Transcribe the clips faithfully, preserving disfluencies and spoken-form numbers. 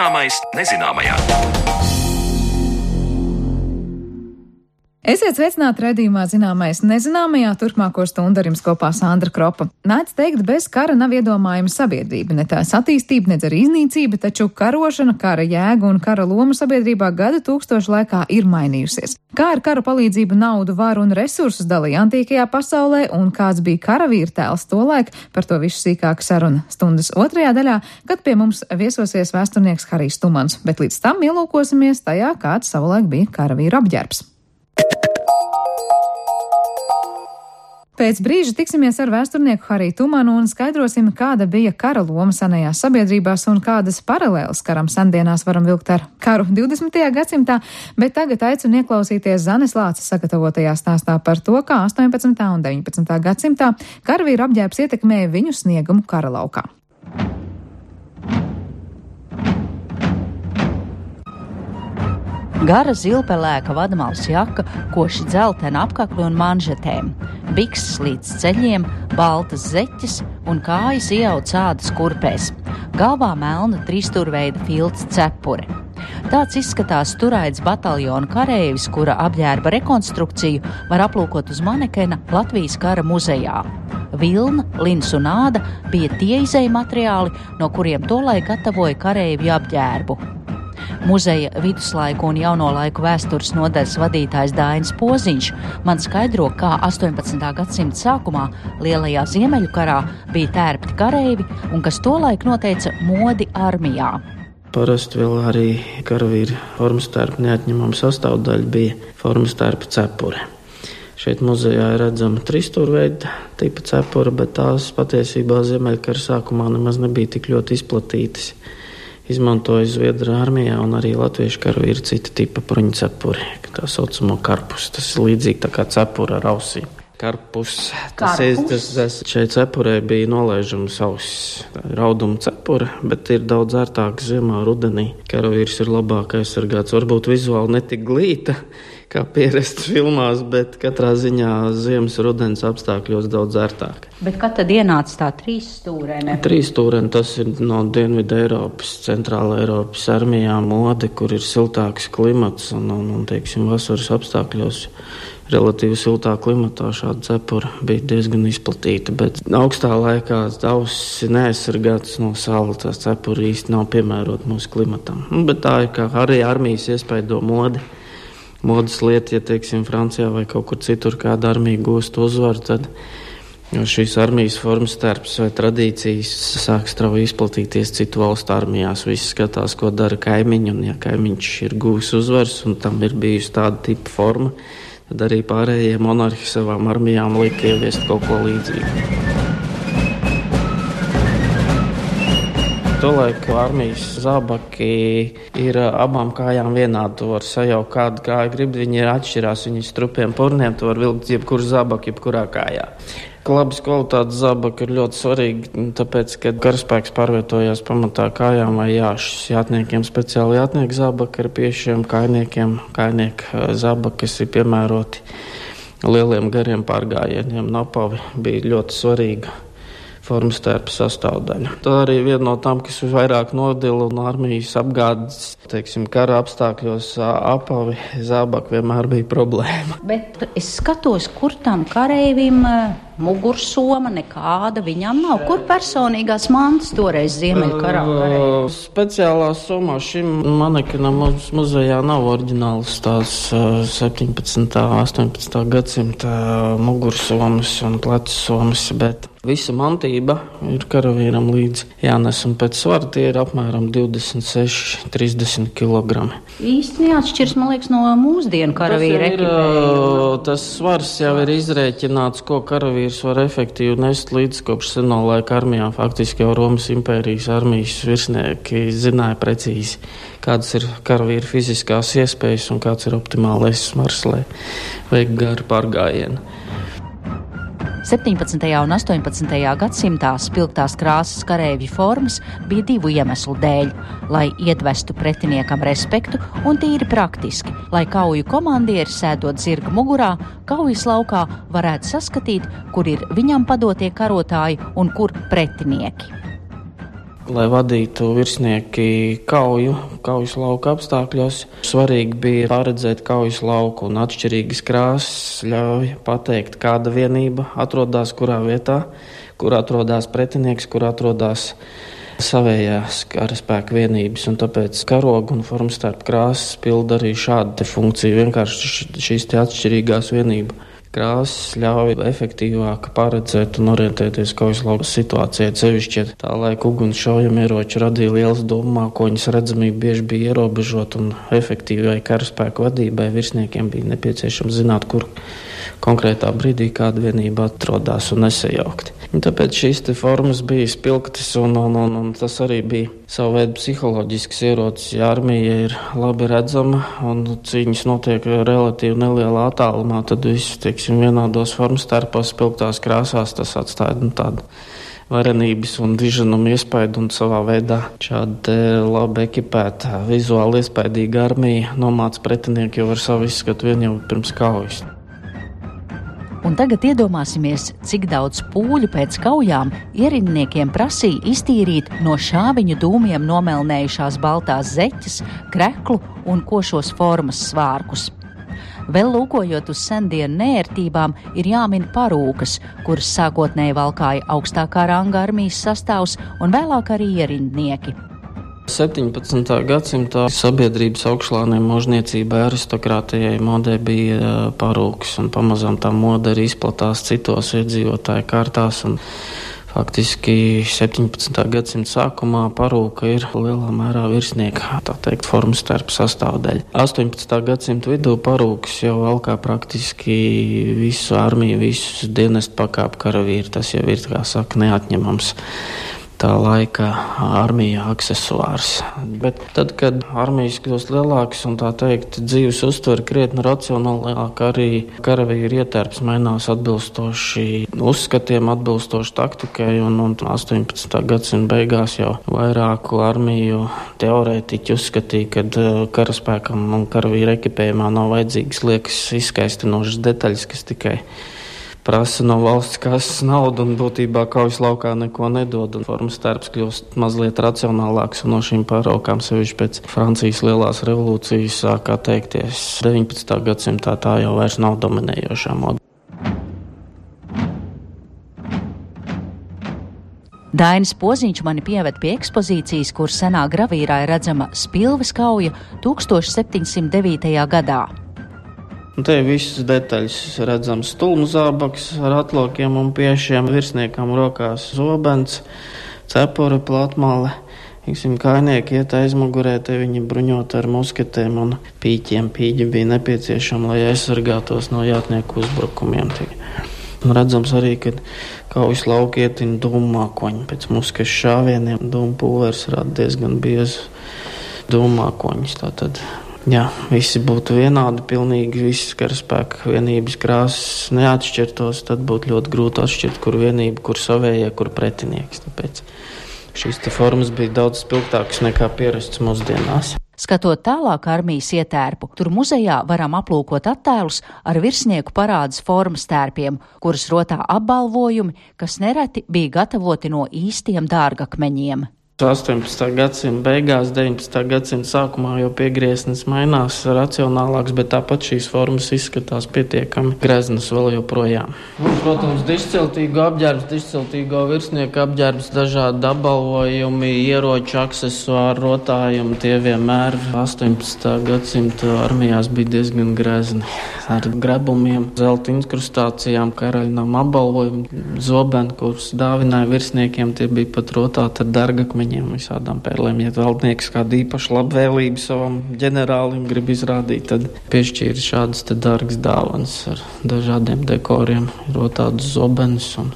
Zināmais nezināmajā. Esiet sveicināti raidījumā Zināmais nezināmajā, turpmāko stundu ar jums kopā Sandra Kropa. Nāc teikt, bez kara nav iedomājama sabiedrība, ne tās attīstība, ne arī iznīcība, taču karošana, kara jēga un kara loma sabiedrībā gadu tūkstošu laikā ir mainījusies. Kā ar kara palīdzību naudu, varu un resursus dalīja antīkajā pasaulē un kāds bija karavīra tēls tolaik, par to visu sīkāk saruna stundas otrajā daļā, kad pie mums viesosies vēsturnieks Harijs Tumans, bet līdz tam ielūkosimies tajā, kāds savulaik bija karavīra apģērbs. Pēc brīža tiksimies ar vēsturnieku Hariju Tumanu un skaidrosim, kāda bija kara loma senajās sabiedrībās un kādas paralēlas karam sendienās varam vilkt ar karu divdesmitajā gadsimtā, bet tagad aicinu ieklausīties Zanes Lāces sagatavotajā stāstā par to, kā astoņpadsmitā un deviņpadsmitā gadsimtā karavīru apģērbs ietekmēja viņu sniegumu kara laukā. Gara zilpelēka vadmalas jaka, koši dzeltena apkakļi un manžetēm, bikses līdz ceļiem, baltas zeķes un kājas ieauts ādas kurpēs. Galvā melna trīsstūrveida filts cepure. Tāds izskatās turaids bataljona kareivis, kura apģērba rekonstrukciju var aplūkot uz manekena Latvijas kara muzejā. Vilna, lins un āda bija tie izēja materiāli, no kuriem tolaik gatavoja kareivju apģērbu. Muzeja viduslaiku un jauno laiku vēstures nodaļas vadītājs Dainis Poziņš man skaidro, kā astoņpadsmitā gadsimta sākumā Lielajā Ziemeļu karā bija tērpti kareivi un kas tolaik noteica modi armijā. Parasti vēl arī karavīra formas tērpa neatņemama sastāvdaļa bija formas tērpa cepure. Šeit muzejā ir redzama trīsstūrveida tipa cepura, bet tās patiesībā Ziemeļkara sākumā nemaz nebija tik ļoti izplatītas. Izmantoja Zviedru armijā un arī latviešu karavīri cita tipa bruņu cepuri, tā saucamo karpus. Tas ir līdzīgi tā kā cepura ar ausīm. Karpus. Tas ir, tas, tas šeit cepurē bija nolaižams ausis. Tā ir rauduma cepura, bet ir daudz ērtāk ziemā, rudenī. Karavīrs ir labāk aizsargāts, varbūt vizuāli netik glīta, kā pierasts filmās, bet katrā ziņā ziemas rudens apstākļos daudz ērtāk. Bet kad tad ienāca tā trīsstūrēne? Trīsstūrēne tas ir no Dienvidu Eiropas, Centrāla Eiropas armijām mode, kur ir siltāks klimats un, un, un teiksim, vasaras apstākļos relatīvi siltā klimatā šāda cepura bija diezgan izplatīta, bet augstā laikā ausis ir neaizsargātas no sāla, tās cepura īsti nav piemērota mūsu klimatam. Bet tā ir kā arī armijas iespaido modi. Modas lieta, ja teiksim Francijā vai kaut kur citur kāda armija gūst uzvaru, tad šīs armijas formas tērps vai tradīcijas sāk strauji izplatīties citu valstu armijās. Visi skatās, ko dara kaimiņi, un ja kaimiņš ir gūs uzvaras un tam ir bijusi tāda tipa forma, tad arī pārējie monarhi savām armijām lika ieviest kaut ko līdzīgu. Tolaik armijas zābaki ir abām kājām vienādi. Tu var sajaukt kādu kāju grib, viņi ir atšķirās, viņi strupiem purniem, tu var vilkt jebkuru zābaku, jebkurā kājā. Labas kvalitātes zābaki ir ļoti svarīgi, tāpēc, ka karaspēks pārvietojās pamatā kājām vai jāšas. Jātniekiem speciāli jātnieku zābaki ar piešiem, kājniekiem kājnieku zābaki, kas ir piemēroti lieliem gariem pārgājieniem. Napavi bija ļoti svarīga formas tērpa sastāvdaļa. Tā arī viena no tām, kas vairāk nodila un armijas apgādes, teiksim, kara apstākļos apavi zābaki vienmēr bija problēma. Bet es skatos, kur tam kareivim mugursoma nekāda viņam nav. Kur personīgās mantas toreiz Ziemeļkarā? Uh, speciālā somā šim manekenam mums muzejā nav oriģināls tās uh, septiņpadsmitā, astoņpadsmitā gadsimta mugursomas un plecusomas, bet visa mantība ir karavīram līdz jānes, un pēc svara tie ir apmēram divdesmit seši, trīsdesmit kilogrami. Īsti neatšķirs, man liekas, no mūsdienu karavīra ekipējuma. Tas svars jau ir izrēķināts, ko karavīrs var efektīvi nest līdz kopš seno laika armijām. Faktiski jau Romas impērijas armijas virsnieki zināja precīzi, kādas ir karavīra fiziskās iespējas un kāds ir optimālais svars, lai veikt garu pārgājienu. septiņpadsmitajā un astoņpadsmitajā gadsimtā spilgtās krāsas kareivju formas bija divu iemeslu dēļ, lai iedvestu pretiniekam respektu un tīri praktiski, lai kauju komandieri sēdot zirga mugurā, kaujas laukā varētu saskatīt, kur ir viņam padotie karotāji un kur pretinieki. Lai vadītu virsnieki kauju, kaujas lauka apstākļos, svarīgi bija paredzēt kaujas lauku, un atšķirīgas krāsas ļauj pateikt, kāda vienība atrodas kurā vietā, kur atrodas pretinieks, kur atrodas savējās karaspēka vienības, un tāpēc karogu un formstarp krāsas pilda arī šādu funkciju. Vienkārši šīs te atšķirīgās vienību krāsas ļauj efektīvāk paredzēt un orientēties kaujas lauka situācijā. Cevišķi tā laika uguns šaujamieroči radīja lielas domākoņas, redzamība bieži bija ierobežota, un efektīvai karaspēka vadībai virsniekiem bija nepieciešams zināt, kur konkrētā brīdī kāda vienība atrodas un nesajaukti. Un tāpēc šīs te formas bija spilgtas, un, un, un, un tas arī bija savu veidu psiholoģisks ierocis. Ja armija ir labi redzama un cīņas notiek relatīvi nelielā attālumā, tad viss, teiksim, vienādos formas starpos spilgtās krāsās, tas atstāja nu, tādu varenības un diženumu iespaidu, un savā veidā šāda labi ekipēta, vizuāli iespaidīga armija nomāca pretinieku jau ar savu izskatu vien jau pirms kaujas. Un tagad iedomāsimies, cik daudz pūļu pēc kaujām ierindniekiem prasīja iztīrīt no šāviņu dūmiem nomelnējušās baltās zeķes, kreklu un košos formas svārkus. Vēl lūkojot uz sendienu neērtībām, ir jāmin parūkas, kuras sākotnēji valkāja augstākā ranga armijas sastāvs un vēlāk arī ierindnieki. septiņpadsmitā gadsimtā sabiedrības augšlāniem možniecībai, aristokrātijai modē bija parūkas, un pamazām tā mode arī izplatās citos iedzīvotāju kārtās, un faktiski septiņpadsmitā gadsimta sākumā parūka ir lielā mērā virsnieka, tā teikt, formas starp sastāvdaļa. astoņpadsmitā gadsimta vidū parūkas jau valkā praktiski visu armiju, visus dienestu pakāpu karavīri, tas jau ir, kā saka, neatņemams tā laika armija aksesuārs. Bet tad, kad armijas kļūst lielākas un tā teikt dzīves uztver krietni racionālāk, arī karavīri ietērps mainās atbilstoši uzskatiem, atbilstoši taktikai, un, un astoņpadsmitā gadsimta beigās jau vairāku armiju teorētiķi uzskatīja, ka karaspēkam un karavīru ekipējumā nav vajadzīgas liekas izskaistinošas detaļas, kas tikai prasa no valsts kases naudu un būtībā kaujas laukā neko nedod. Formas starps kļūst mazliet racionālāks, un no šīm pāraukām sevišķi pēc Francijas lielās revolūcijas sāk atteikties. deviņpadsmitā gadsimtā tā jau vairs nav dominējošā moda. Dainis Poziņš mani pieved pie ekspozīcijas, kur senā gravīrā ir redzama Spilves kauja tūkstoš septiņsimt devītajā gadā. Un te visas detaļas redzams stulmu zābaks ar atlokiem un piešiem, virsniekam rokās zobens, cepuri, platmale. Iksim, kainieki iet aizmugurē, te viņi bruņot ar musketēm un pīķiem. Pīķi bija nepieciešami, lai aizsargātos no jātnieku uzbrukumiem. Un redzams arī, ka kaujas lauki ietina dūmākoņi pēc muskešu šāvieniem. Dūmu pulvers rada diezgan biezu dūmākoņus. Tātad jā, visi būtu vienādi, pilnīgi visas karaspēka vienības krāsas neatšķirtos, tad būtu ļoti grūti atšķirt, kur vienība, kur savējie, kur pretinieks. Tāpēc šīs te formas bija daudz spilgtākas nekā pierasts mūsdienās. Skatot tālāk armijas ietērpu, tur muzejā varam aplūkot attēlus ar virsnieku parādes formas tērpiem, kurus rotā apbalvojumi, kas nereti bija gatavoti no īstiem dārgakmeņiem. astoņpadsmitā gadsimta beigās, deviņpadsmitā gadsimta sākumā jau piegrieznis mainās racionālāks, bet tāpat šīs formas izskatās pietiekami greznas vēl joprojām. Un, protams, dišciltīgu apģērbs, dišciltīgo virsnieku apģērbs, dažādi apbalvojumi, ieroču, aksesuāri, rotājumi, tie vienmēr astoņpadsmitā gadsimta armijās bija diezgan grezni. Ar grebumiem, zelta inkrustācijām, karaļnām apbalvojumi, zobeni, kurus dāvināja virsniekiem, tie bija pat rotāti ar dargakmeņiem, visādām pērlēm. Ja valdnieks kādu īpašu labvēlību savam ģenerālim grib izrādīt, tad piešķīra šādas te dārgas dāvanas ar dažādiem dekoriem, rotādus zobenus un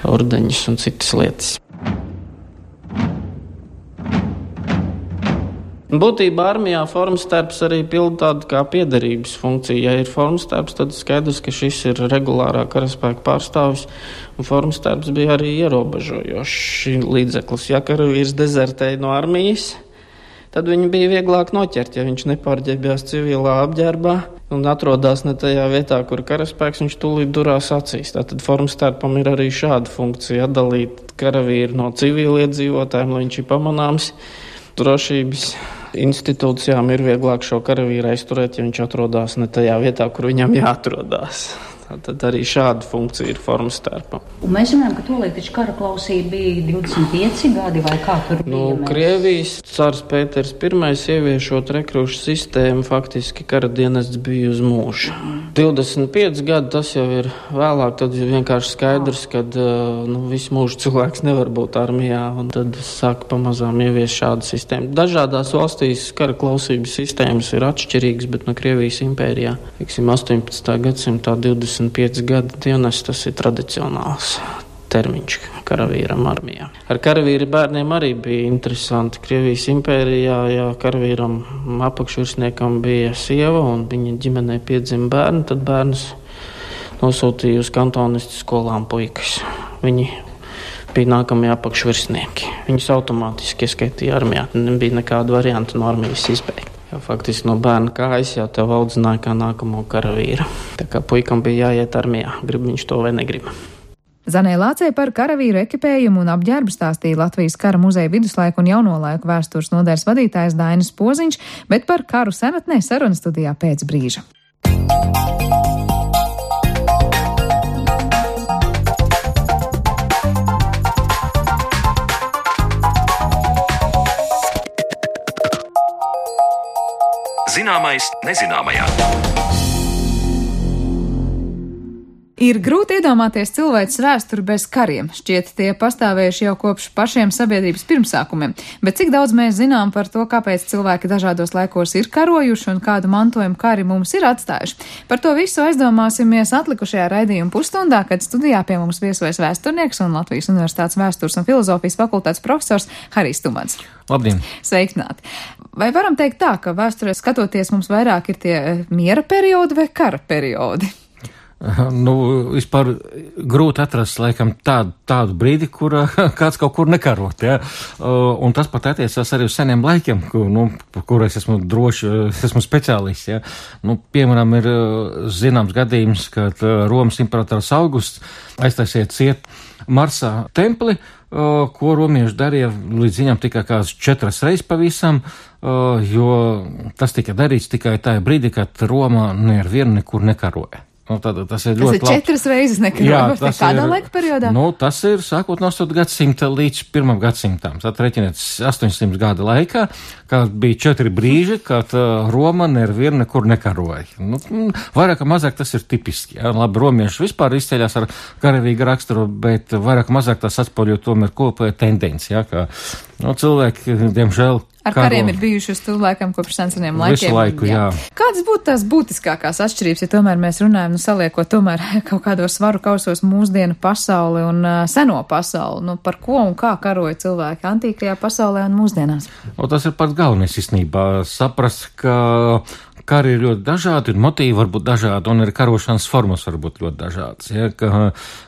ordeņus un citas lietas. Būtībā armijā formas starps arī pilda tādu kā piederības funkciju. Ja ir formas starps, tad skaidrs, ka šis ir regulārā karaspēka pārstāvis, un formas starps bija arī ierobežojošs līdzeklis. Ja karavīrs dezertēja no armijas, tad viņu bija vieglāk noķert, ja viņš nepārģērbjās civilā apģērbā. un atrodas ne tajā vietā, kur karaspēks, viņš tūlīt durās acīs. Tātad formstērpam ir arī šāda funkcija atdalīt karavīru no civiliedzīvotājiem, lai viņš ir pamanāms. Drošības institūcijām ir vieglāk šo karavīru aizturēt, ja viņš atrodas ne tajā vietā, kur viņam jāatrodās. Tad arī šāda funkcija ir formstērpam. Un mēs zinām, ka tolīk taču kara klausība bija divdesmit pieci gadi vai kā tur bija? Nu, Krievijas cars Pēters Pirmais ieviešot rekrūšu sistēmu, faktiski kara dienests bija uz mūžu. Mm. divdesmit pieci gadi, tas jau ir vēlāk, tad ir vienkārši skaidrs, ka nu, visu mūžu cilvēks nevar būt armijā, un tad sāk pamazām ievies šādu sistēmu. Dažādās valstīs kara klausības sistēmas ir atšķirīgas, bet no Krievijas impērijā, teiksim, astoņpadsmitā gadsimtā divdesmit pieci gadu dienas, tas ir tradicionāls termiņš karavīram armijā. Ar karavīri bērniem arī bija interesanti. Krievijas impērijā, ja karavīram apakšvirsniekam bija sieva un viņa ģimenē piedzima bērni, tad bērnus nosūtīja uz kantonistu skolām puikas. Viņi bija nākamie apakšvirsnieki. Viņus automātiski ieskaitīja armijā. Nebija nekāda varianta no armijas izbeigt. Jo faktiski no bērna kājas jau tev audzināja kā nākamo karavīru. Tā kā puikam bija jāiet armijā, grib viņš to vai negrib. Zanē Lācei par karavīru ekipējumu un apģērbu stāstīja Latvijas kara muzeja viduslaiku un jauno laiku vēstures nodaļas vadītājs Dainis Poziņš, bet par karu senatnē saruna studijā pēc brīža. Zināmais nezināmajā. Ir grūti iedomāties cilvēces vēsturi bez kariem. Šķiet, tie pastāvējuši jau kopš pašiem sabiedrības pirmsākumiem. Bet cik daudz mēs zinām par to, kāpēc cilvēki dažādos laikos ir karojuši un kādu mantojumu kari mums ir atstājuši? Par to visu aizdomāsimies atlikušajā raidījuma pusstundā, kad studijā pie mums viesojas vēsturnieks un Latvijas Universitātes vēstures un filozofijas fakultātes profesors Harijs Tumans. Labdien! Sveicināti! Vai varam teikt tā, ka vēsturē skatoties mums vairāk ir tie miera periodi vai kara periodi? Nu, vispār grūti atrast, laikam, tādu, tādu brīdi, kur kāds kaut kur nekarot, ja? Un tas pat attiecās arī uz seniem laikiem, kur, nu, kur es esmu droši, es esmu speciālists, ja? Nu, piemēram, ir zināms gadījums, kad Romas imperators Augusts aiztaisiet ciet Marsā templi, ko romieši darīja līdz viņam tikai kāds četras reizes pavisam, jo tas tika darīts tikai tajā brīdī, kad Romā nevienu nekur nekaroja. Nu, tad, tas ir ļoti tas ir četras labi. Reizes nekarojot. Kādā laika periodā? Nu, tas ir sākot no astoņā gadsimta līdz pirmam gadsimtam. Tad reķiniet astoņsimt gada laikā, kad bija četri brīži, kad uh, Roma nevienu nekur nekaroja. Nu, vairāk mazāk tas ir tipiski. Ja? Labi, romieši vispār izceļās ar karavīgu raksturu, bet vairāk mazāk tas atspoļo tomēr kopēja tendenci. Ja? Ka, nu, cilvēki, diemžēl, ar karo. Kariem ir bijuši uz cilvēkiem kopš senseniem laikiem. Visu laiku, jā. jā. Kādas būtu tās būtiskākās atšķirības, ja tomēr mēs runājam, nu saliekot tomēr kaut kādos svaru kausos mūsdienu pasauli un uh, seno pasauli? Nu, par ko un kā karoja cilvēki antīkajā pasaulē un mūsdienās? O, tas ir pats galvenais īstenībā. Saprast, ka kari ir ļoti dažādi, un motīvi var būt dažādi, un arī karošanas formas var būt ļoti dažādas. Ja, ka,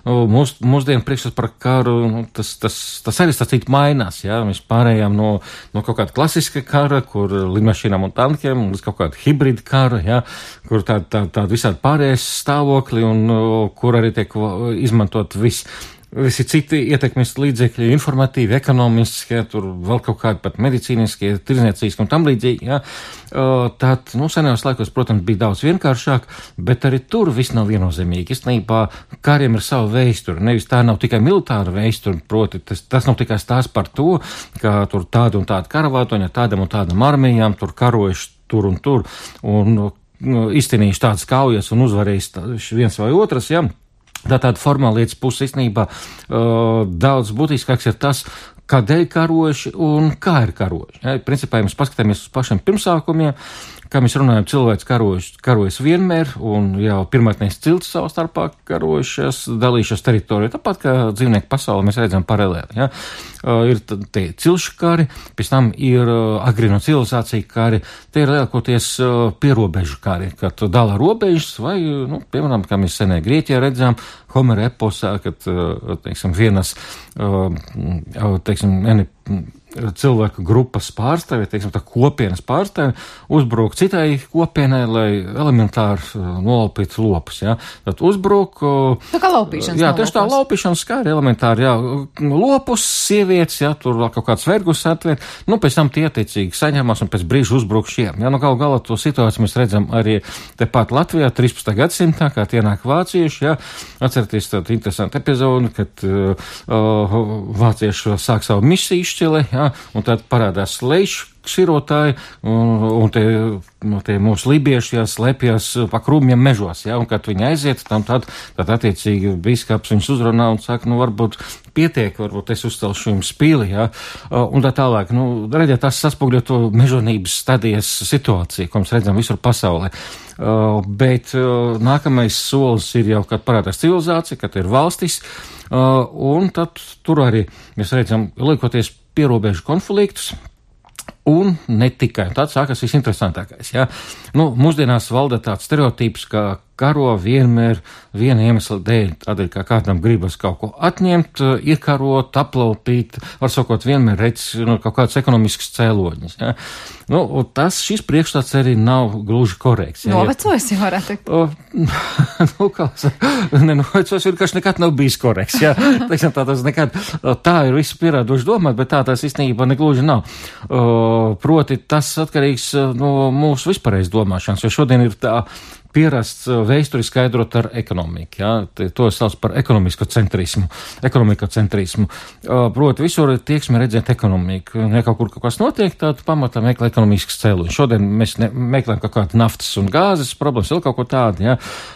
nu, mūs, mūsdienu priekšstats par karu, nu, tas, tas, tas arī stāstīt mainās. Ja, mēs pārējām no, no kaut kāda klasiska kara, kur lidmašīnām un tankiem, līdz kaut kāda hibrida kara, ja, kur tāda tā, tā visādi pārējais stāvokli, un kur arī tiek izmantot viss. Visi citi ietekmes līdzekļi, informatīvi, ekonomiskie, tur vēl kaut kādi pat medicīniskie, tirdzniecības un tam līdzīgi, jā. Tad, nu, senajos laikos, protams, bija daudz vienkāršāk, bet arī tur viss nav viennozīmīgi. Īstenībā kariem ir sava vēsture, nevis tā nav tikai militāra vēsture, proti, tas, tas nav tikai stāsts par to, ka tur tāda un tāda karavātoņa, tādam un tādam armijām, tur karojuši tur un tur, un nu, izcīnījuši tādas kaujas un uzvarējis viens vai otrs, jā. Tā tāda formāla lietas puse īstenībā uh, daudz būtiskāks ir tas, kādēļ karojuši un kā ir karojuši. Ja, principā, ja mēs paskatāmies uz pašiem pirmsākumiem, kā mēs runājam, cilvēks karojas, karojas vienmēr, un jau pirmotnēs cilts savā starpā karojušies, dalījušies teritorijā, tāpat kā dzīvnieku pasaulē mēs redzam paralēli. Ja. Uh, ir te cilšu kari, pēc tam ir uh, agrīno civilizācija kari, te ir lielākoties uh, pierobežu kari, kad dala robežas, vai, nu, piemēram, kā mēs senē Grieķijā redzam, Homera eposā, kad, uh, teiksim, vienas, uh, teiksim, eni, cilvēku grupas pārstāvi, teiksim, tā kopienas pārstāvi, uzbruk citai kopienai, lai elementāri nolaupītu lopus, jā. Tad uzbruk... Tā kā laupīšanas. Jā, tieši tā laupīšanas skāri elementāri, jā. Lopus, sievietes, jā, tur vēl kaut kāds vergus atvērt, nu, pēc tam tie attiecīgi saņemās un pēc brīža uzbruk šiem. Jā, nu, galu galā to situāciju mēs redzam arī tepat Latvijā, trīspadsmitajā gadsimtā, kā tie nāk vācieši, jā. Atcerieties tādu interesantu epizodi, kad uh, vācieši sāk savu misiju izšķili, jā, un tad parādās lejš širotāji, un, un te, no te mūsu libieši slēpjas pa krūmiem mežos, ja, un kad viņi aiziet, tam tad, tad attiecīgi bīskaps viņus uzrunā un saka, nu, varbūt pietiek, varbūt es uzcelšu jums pīli, ja, un tā tālāk, nu, redziet, tas saspogļo to mežonības stadijas situāciju, ko mēs redzam visur pasaulē. Uh, bet uh, nākamais solis ir jau, kad parādās civilizācija, kad ir valstis, uh, un tad tur arī mēs redzam, liekoties pierobežu konfliktus, un ne tikai. Tāds sākas visinteresantākais, jā. Nu, mūsdienās valda tāds stereotips, ka karo vienmēr viena iemesla dēļ, tādēļ, kā kādam gribas kaut ko atņemt, iekarot, aplaupīt, var sakot, vienmēr redz, nu, kaut kāds ekonomisks cēloņus, jā. Nu, un tas, šis priekšstats arī nav gluži korekts. Jā, novecojis, jau varētu teikt. O, nu, kā, ne, novecojis vienkārši nekad nav bijis korekts, jā. Teiksim, tā tas nekad, tā ir visu pierādoši domāt, bet tā tas īstenībā negluži nav. O, proti, tas atkarīgs no mūsu vispārējais domāšanas, jo šodien ir tā pierasts vēsturi skaidrot ar ekonomiku, jā, to sauc par ekonomisko centrismu, ekonomikocentrismu. Proti, visur tieksmi redzēt ekonomiku. Ja kaut kur kaut kas notiek, tad pamatā meklē ekonomiskas cēloņus. Šodien mēs ne, meklējam kaut kādu naftas un gāzes problēmas, vēl kaut ko tādu, jā.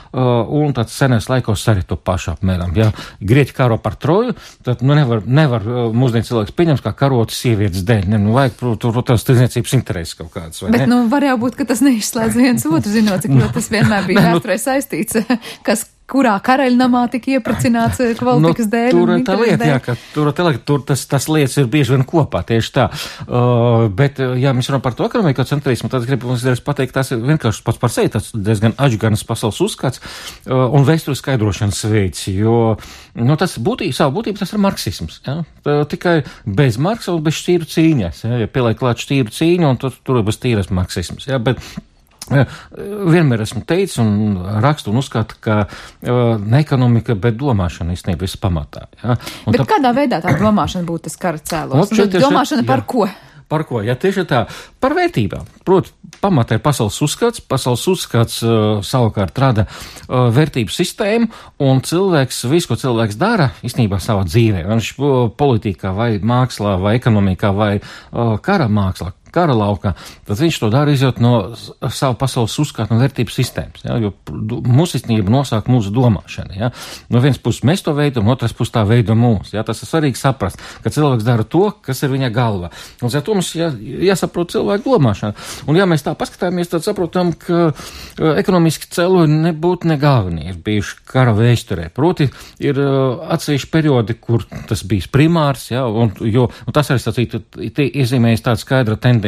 Un tāds senais laikos arī to pašu apmēram, jā. Grieķi karo par Troju, tad, nu, nevar, nevar mūsdien cilvēks pieņems kā karot sievietes dēļ. Ne, nu, vajag, protams, tirdzniecības intereses kaut kādas, vai bet, ne? Bet, nu, var jau būt, ka tas neizslēdz viens otru, zinot, cik ļoti tas vienmēr bija vēsturē saistīts, kas kurā karaļnamā tika iepracināts kvalitātes nu, dēļ. Tur tā lieta, jā, ka tur, tur tas, tas lietas ir bieži vien kopā, tieši tā. Uh, bet, ja mēs runājam par to ekonomikocentrismu, tad gribu mums pateikt, tas ir vienkārši pats par sevi, tas diezgan atžganas pasaules uzskats uh, un vēstures skaidrošanas veids, jo, nu, tas būtībā, savu būtību tas ir marksisms, jā. Tā, tikai bez Marksa un bez šķīru cīņas, jā, ja pieliek klāt šķīru cīņu, un tur, tur bez tīras marksisms, jā, bet Jā, vienmēr esmu teicis un rakstu un uzskatu, ka uh, ne ekonomika, bet domāšana īstenībā viss pamatā. Ja? Un bet tā... kādā veidā tā domāšana būtu tas kara cēlos? Domāšana par ko? Par ko? Ja tieši tā, par vērtībām. Proti, pamatā ir pasaules uzskats, pasaules uzskats uh, savukārt rada uh, vērtību sistēmu, un cilvēks, visu, ko cilvēks dara, īstenībā savā dzīvē, viņš uh, politikā vai mākslā vai ekonomikā vai uh, kara mākslā, kara laukā, tad viņš to dara izjūt no savu pasaules uzskatu un vērtību sistēmas, ja, jo mūsu īstenība nosāk mūsu domāšana, ja. No vienas puses mēs to veidam, no otras puses tā veido mūs, ja, tas ir svarīgi saprast, ka cilvēks dara to, kas ir viņa galva. Un ar to mums jā, jāsaprot cilvēku domāšana. Un ja mēs tā paskatāmies, tad saprotam, ka uh, ekonomiski cēloņi nebūtu ne galvenie ir bijuši kara vēsturē. Proti, ir uh, atsevišķi periodi, kur tas bijis primārs, ja, un, jo, un tas arī sacītu, iezīmējas tāda skaidra tendence.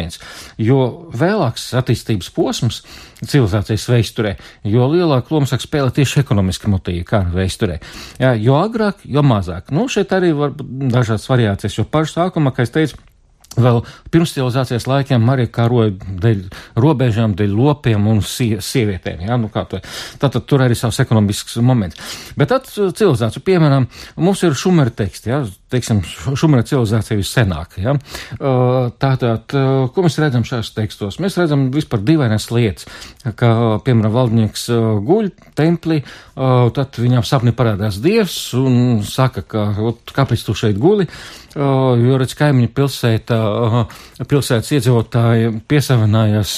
Jo vēlāks attīstības posms civilizācijas vēsturē, jo lielāku lomu sāk spēlēt tieši ekonomiski motīvi kara vēsturē. Jā, jo agrāk, jo mazāk. Nu, šeit arī var dažādas variācijas, jo pašu sākumā, kā es teicu, vēl pirms civilizācijas laikiem arī karoja dēļ robežām, dēļ lopiem un sie, sievietēm, jā, nu kā to. Tātad tur arī savs ekonomisks moments. Bet tad civilizāciju, piemēram, mums ir šumera teksti, jā, teiksim, šumera civilizācija vissenāk, jā. Tātad, ko mēs redzam šajos tekstos? Mēs redzam vispār dīvainas lietas, ka, piemēram, valdnieks guļ templī, tad viņam sapni parādās dievs un saka, ka, kāpēc tu šeit guli, jo redz kaimiņu pilsētā, pilsētas iedzīvotāji piesavinājās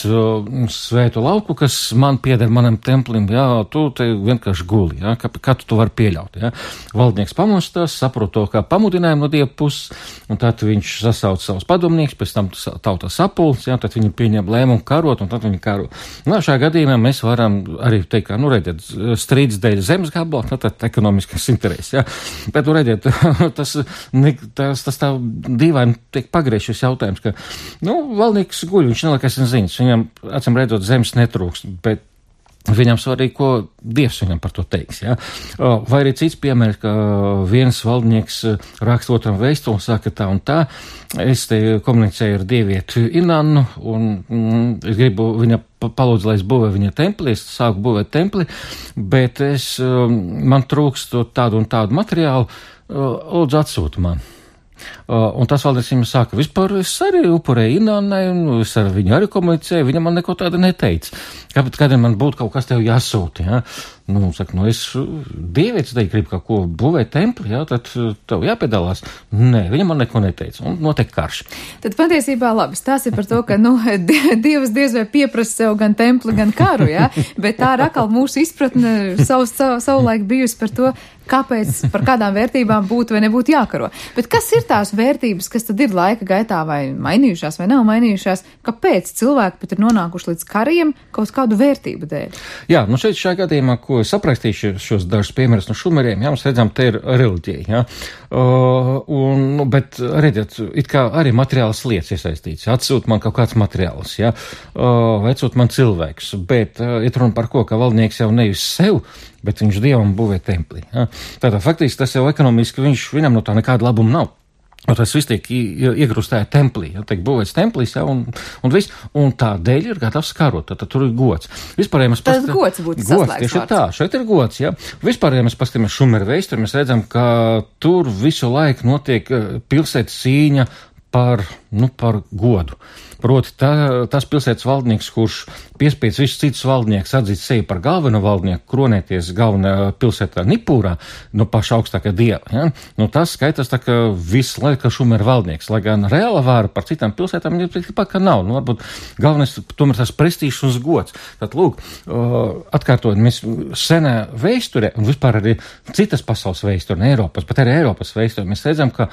svētu lauku, kas man pieder manam templim, jā, tu te vienkārši guli, jā, kā, kā tu to var pieļaut, jā. Valdnieks pamostās, saprot to kā pamudinājumu no dieva puses, un tad viņš sasauc savus padomnieks, pēc tam tauta sapulcs, jā, tad viņi pieņem lēmumu karot, un tad viņi karo. Nu, šajā gadījumā mēs varam arī teikt, ka, nu, redziet, strīds dēļ zemes gabala, nu, tad ekonomiskas intereses, jā. Bet, nu, redziet, tas, ne, tas, tas tā dīvaini tiek pagriezt šis jautājums, ka, nu, valdnieks guļ, viņš neliekas ziņas, viņam, acīm redzot, zemes netrūks, bet Viņam svarīgi, ko Dievs viņam par to teiks. Ja? Vai arī cits piemērs, ka viens valdnieks raksta otram vēstuli un saka tā un tā. Es te komunicēju ar dievietu Inannu un mm, es gribu viņa palūdzu, lai es būvēju viņa templi, es sāku būvēt templi, bet es, man trūkst tādu un tādu materiālu, lūdzu atsūtu man. Uh, un tas valdnieks viņam saka, vispār es arī upurēju Inannai, un es ar viņu arī komunicēju, viņam man neko tādu neteica. Kāpēc kādiem man būtu kaut kas tev jāsūta, ja? Nu, saka, nu es dievietis te gribu kaut ko būvēt templi, ja? Tad tev jāpiedalās. Nē, viņam man neko neteica, un notiek karš. Tad patiesībā labi, stāsti par to, ka, nu, Dievs diez vai pieprasa sev gan templi, gan karu, ja? Bet tā ir atkal mūsu izpratne savu, savu, savulaik bijusi par to, kāpēc, par kādām vērtībām būtu vai nebūtu jākaro. Bet kas ir tās vērtības, kas tad ir laika gaitā vai mainījušās vai nav mainījušās? Kāpēc cilvēki pat ir nonākuši līdz kariem kaut kādu vērtību dēļ? Jā, nu šeit šajā gadījumā, ko es aprakstīšu šos dažus piemērus no šumeriem, jā, mēs redzam, te ir reliģija, jā. Uh, un, nu, bet redziet, it kā arī materiālas lietas iesaistīts. Atsūt man kaut kāds materiāls, jā, uh, vai atsūt man cilvēks, bet uh, ir runa par ko, ka valdnieks jau nevis sev, bet viņš Dievam būvē templī. Ja? Tātad faktiski tas jau ekonomiski viņš, viņam no tā nekāda labuma nav. Un tas viss tiek iegrustēja templī, ja? Tiek būvēts templīs, ja? un, un viss, un tādēļ ir gatavs karot, tad tur ir gods. Vispārējiem mēs past... gods būtu saslēgts tieši vārds. Tā, šeit ir gods, ja? Vispārējiem mēs paskatāmies Šumeru vēsturi, mēs redzam, ka tur visu laiku notiek pilsētas cīņa par, nu, par godu. Proti, tā, tas pilsētas valdnieks, kurš piespēc visus citus valdniekus atzīt sevi par galveno valdnieku, kronēties galvenā pilsētā Nipūrā, no paša augstākā dieva, ja? Nu, tas skaitās tā, ka viss laika Šumeru valdnieks, lai gan reāla vāra par citām pilsētām ir tikpat, ka nav. Nu, varbūt galvenais tomēr tas prestīžs un gods. Tad, lūk, atkārtojot, mēs senā vēsturē, un vispār arī citas pasaules vēsture, ne Eiropas, bet arī Eiropas vēsture, mēs redzam, ka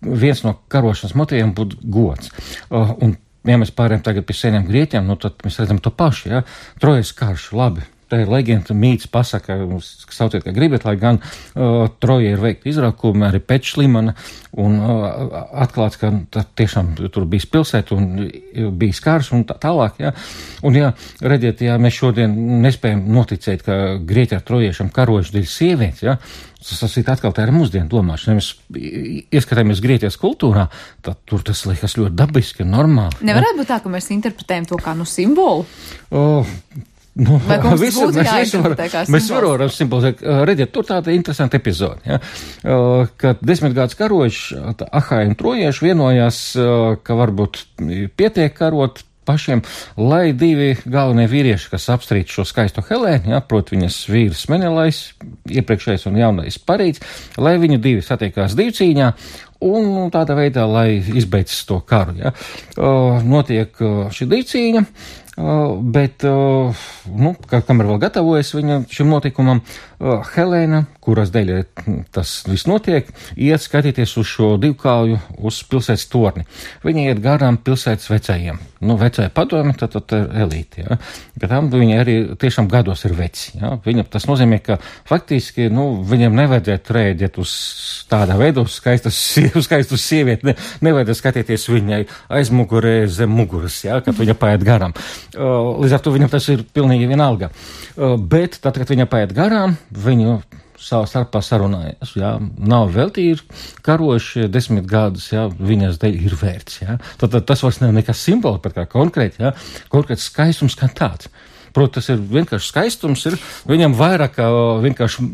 viens no karošanas motīviem būtu gods. Uh, un, ja mēs pārējām tagad pie seniem grieķiem, nu tad mēs redzam to pašu, ja? Trojas karš, labi. Tā ir leģenda, mīts, pasaka, sauciet, kā gribat, lai gan uh, Troja ir veikta izrakumi, arī Pečlimana, un uh, atklāts, ka tiešām tur bija pilsēta un bija skars un tā tālāk, ja. Un, ja, redziet, ja mēs šodien nespējam noticēt, ka grieķi ar trojiešiem karojuši dēļ sievietes, ja, tas ir atkal tā ir mūsdienu domāšana. Ja mēs ieskatāmies Grieķijas kultūrā, tad tur tas liekas ļoti dabiski un normāli. Nevarētu būt tā, ka mēs interpretējam to kā nu simbolu? Oh, Nu, visu, mēs visu var, mēs varam simbolizēt. Redziet, tur tāda interesanta epizode, ja? Kad desmitgāds karojuši, Ahāji un trojieši vienojās, ka varbūt pietiek karot pašiem, lai divi galvenie vīrieši, kas apstrīd šo skaisto Helēnu, ja, proti viņas vīrs Menelais, iepriekšējais un jaunais Parīds, lai viņi divi satiekās divcīņā, un tādā veidā, lai izbeidz to karu, ja. Notiek šī divcīņa, bet, nu, kamēr vēl gatavojas viņa šim notikumam, Helēna, kuras dēļ tas viss notiek, iet skatīties uz šo divkauju, uz pilsētas torni. Viņa iet garām pilsētas vecajiem. Nu, vecāja padomi, tad, tad ir elīte, ja. Bet tam viņa arī tiešām gados ir veci, ja. Viņa, tas nozīmē, ka faktiski, nu, viņam nevajadzētu rēģēt uz tādā veidā, uz skaistas, uz skaistas sievieti, ne, nevajadzētu skatīties viņai aizmugurē zem muguras, ja, kad viņa paiet garām. Līdz ar to viņam tas ir pilnīgi vienalga. Bet tad, kad viņa paiet garām, viņu savā starpā sarunājas, jā, nav veltīgi karojuši desmit gadus, jā, viņas dēļ ir vērts, jā. Tad, tad tas vairs nav nekas simboli, bet kā konkrēti, jā, konkrēts skaistums kā tāds. Protams, tas ir vienkārši skaistums, ir viņam vairāk kā vienkārši